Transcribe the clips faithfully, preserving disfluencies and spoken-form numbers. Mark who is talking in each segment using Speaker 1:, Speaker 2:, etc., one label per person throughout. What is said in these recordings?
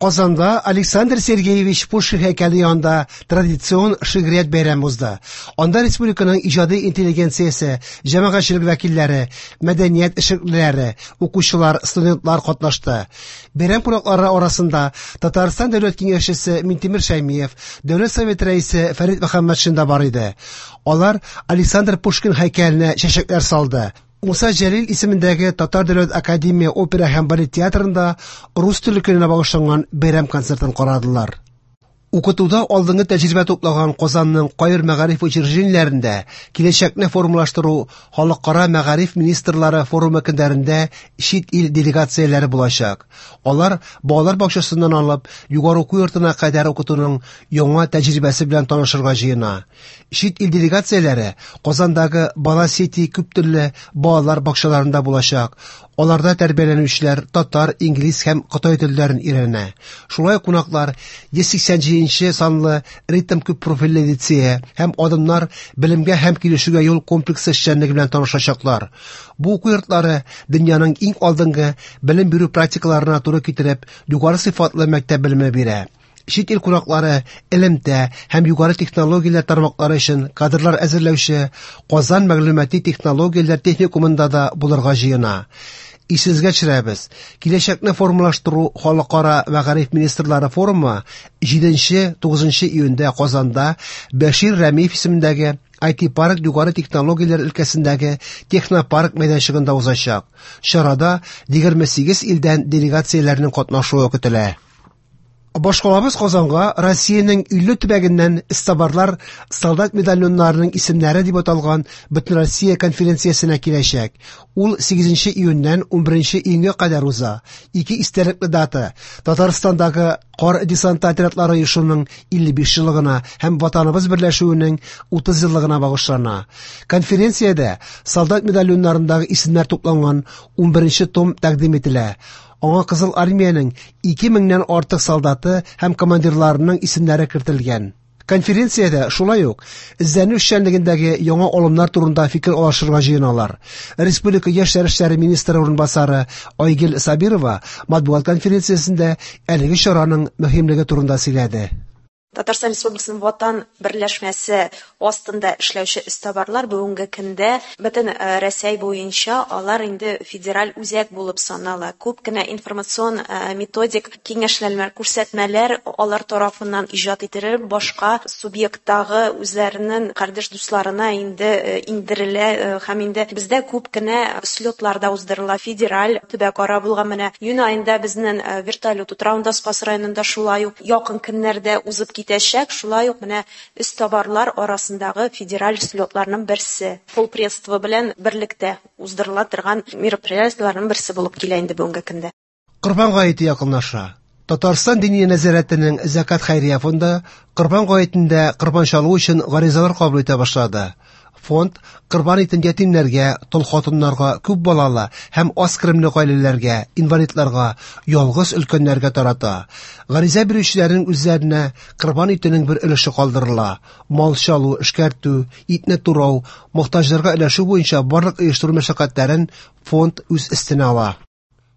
Speaker 1: Казанда Александр Сергеевич Пушкин һәйкәле янында традицион шигърият бәйрәме узды. Анда республиканың иҗади интеллигенциясе, җәмәгатьчелек вәкилләре, мәдәният эшлеклеләре, укучылар, студентлар катнашты. Бәйрәм кунаклары арасында Татарстан Дәүләт Киңәшчесе Минтимер Шәймиев, Дәүләт Советы рәисе Фәрит Мөхәммәтшин да бар иде. Алар Александр Пушкин һәйкәленә чәчәкләр салды. Муса Җәлил исемендәге Татар дәүләт академия опера һәм балет театрында рус теле көненә багышланган бәйрәм концертын карадылар. Укытуда алдынгы тәҗрибә туплаган Казанның кайбер мәгариф учреждениеләрендә киләчәкне формалаштыру халыкара мәгариф министрлары форумы көннәрендә чит ил делегацияләре булачак. Алар балалар бакчасыннан алып югары уку йортына кадәр укытуның яңа тәҗрибәсе белән танышырга җыена. Чит ил делегацияләре Казандагы Бала Сити күптелле балалар бакчаларында булачак. Аларда тәрбияләнүчеләр татар, инглиз һәм кытай телләрен өйрәнә. Шулай ук кунаклар йөз сиксән җиденче санлы ритм күп профильле лицее һәм Адымнар белемгә һәм килешүгә юл комплексы эшчәнлеге белән танышачаклар. Бу уку йортлары дөньяның иң алдынгы белем бирү практикаларына туры китереп, югары сыйфатлы мәктәп белеме бирә. Чит ил кунаклары элемтә һәм югары технологияләр тармаклары өчен кадрлар әзерләүче Казан мәгълүмати технологияләр техникумында да булырга җыена. Исегезгә төшерәбез, киләчәкне формалаштыру халыкара мәгариф министрлары форумы җиденче тугызынчы июньдә Казанда Бәшир Рәмиев исемендәге ай ти парк югары технологияләр өлкәсендәге технопарк мәйданчыгында узачак. Чарада егерме сигез илдән делегацияләрнең катнашуы көтелә. Башкалабыз Казанга Россиянең илле төбәгеннән эзтабарлар солдат медальоннарының исемнәре дип аталган Бөтенроссия конференциясенә киләчәк. Ул сигезенче июньнән унберенче июньгә кадәр уза. Ике истәлекле дата: Татарстандагы кар десанты отрядлары оешуының илле биш еллыгына һәм Ватаныбыз берләшүенең утыз еллыгына багышлана. Конференциядә солдат медальоннарындагы исемнәр тупланган унберенче том тәкъдим ителә. Аңа Кызыл Армиянең ике меңнән артык солдаты һәм командирларының исемнәре кертелгән. Конференциядә шулай ук эзләнү эшчәнлегендәге яңа алымнар турында фикер алышырга җыеналар. Республика яшьләр эшләре министры урынбасары Айгөл Сабирова матбугат конференциясендә әлеге чараның мөһимлеге турында сөйләде.
Speaker 2: Татарстан Республикасының Ватан берләшмәсе астында эшләүче эзтабарлар бүгенге көндә бөтен, э, Рәсәй буенча алар инде федераль үзәк булып санала. Күп кенә информацион, э, методик киңәшләр, күрсәтмәләр алар тарафыннан иҗат ителеп, башка субъекттагы үзләренең кардәш дусларына инде, э, индерелә, э, һәм инде бездә күп кенә слетлар да уздырыла. Федераль төбәкара булган менә июнь аенда безнең, э, вертолет утравында Спас районында шулай ук якын көннәрдә узып китәчәк, шулай ук менә эзтабарлар арасындагы федераль слетларның берсе. Полпредство белән берлектә уздырыла торган мероприятиеләрнең берсе булып килә инде бүгенге көндә.
Speaker 1: Корбан гаете якынлаша. Татарстан Диния нәзарәтенең Зәкат хәйрия фонды Корбан гаетендә корбан чалу өчен гаризалар кабул итә башлады. Фонд корбан итен ятимнәргә, тол хатыннарга, күп балалы һәм аз керемле гаиләләргә, инвалидларга, ялгыз өлкәннәргә тарата. Гариза бирүчеләрнең үзләренә корбан итенең бер өлеше калдырыла. Мал чалу, эшкәртү, итне турау, мохтаҗларга өләшү буенча барлык оештыру мәшәкатьләрен фонд үз өстенә ала.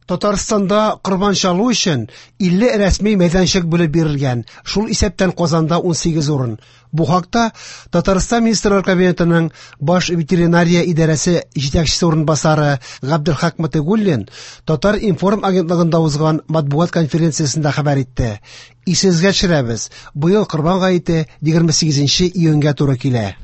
Speaker 1: Татарстанда корбан чалу өчен илле рәсми мәйданчык бүлеп бирелгән, шул исәптән Казанда унсигез урын. Бу хакта Татарстан Министрлар Кабинетының баш ветеринария идарәсе җитәкчесе урынбасары Габделхак Мотыйгуллин Татар-информ агентлыгында узган матбугат конференциясендә хәбәр итте. Исегезгә төшерәбез, быел Корбан гаете егерме сигезенче июньгә туры килә.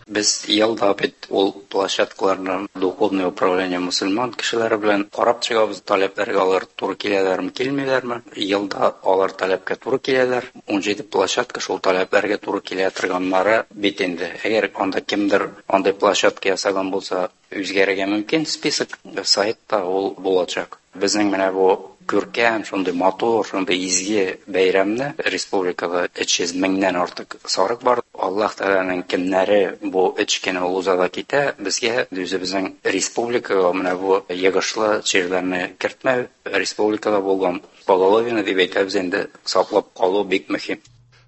Speaker 3: Без елда бит ул площадкаларны духовное управление мусульман кешеләре белән карап чыгабыз, таләпләргә алар туры киләләрме, килмиләрме. Елда алар таләпкә туры киләләр. Унҗиде площадка шул таләпләргә туры килә торганнары бит инде. Әгәр анда кемдер андый площадка ясаган булса, үзгәрергә мөмкин список сайтта ул булачак. Безнең менә бу күркәм, шундый матур, шундый изге бәйрәмне республикада өч йөз меңнән артык сарык бар. Аллаһ Тәгаләнең кемнәре бу өч көн ул уза да китә, безгә үзебезнең республикага менә бу йогышлы чирләрне кертмәү, республикада булган поголовье дип әйтәбез инде, саклап калу бик мөһим.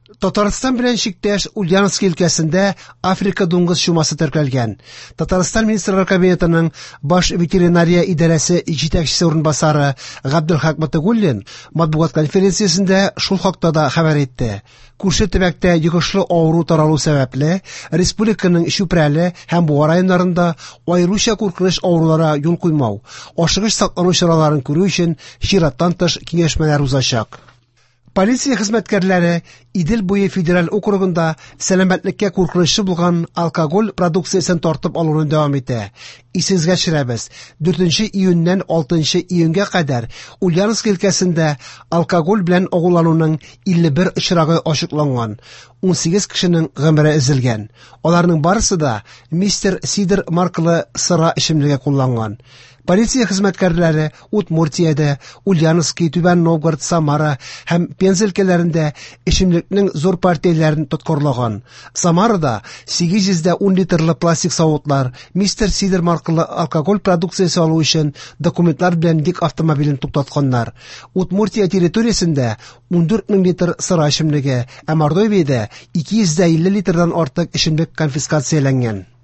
Speaker 1: Татарстан белән чиктәш Ульяновск өлкәсендә Африка дуңгыз чумасы теркәлгән. Татарстан Министрлар Кабинетының баш ветеринария идарәсе җитәкчесе урынбасары Габделхак Мотыйгуллин матбугат конференциясендә шул хакта да хәбәр итте. Күрше төбәктә йогышлы авыру таралу сәбәпле, республиканың Чүпрәле һәм Буа районнарында аеруча куркыныч авыруларга юл куймау, ашыгыч саклану чараларын күрү өчен чираттан тыш киңәшмәләр узачак. Полиция хезмәткәрләре Идел буе федераль округында сәламәтлеккә куркынычлы булган алкоголь продукциясен тартып алуны дәвам итә. Исегезгә төшерәбез, дүртенче июньнән алтынчы июньгә кадәр Ульяновск өлкәсендә алкоголь белән агулануның илле бер очрагы ачыкланган. Унсигез кешенең гомере өзелгән. Аларның барысы да Мистер Сидр маркалы сыра эчемлеге кулланган. Полиция хезмәткәрләре Удмуртиядә, Ульяновский, Түбән Новгород, Самара һәм Пенза өлкәләрендә эчемлекнең зур партияләрен тоткарлаган. Самарада сигез йөз дә ун литрлы пластик савытлар, Мистер Сидр маркалы алкоголь продукциясе алу өчен документлар белән йөк автомобилен туктатканнар. Удмуртия территориясендә ундүрт мең литр сыра эчемлеге, ә Мордовиядә ике йөз дә илле литрдан артык эчемлек конфискацияләнгән.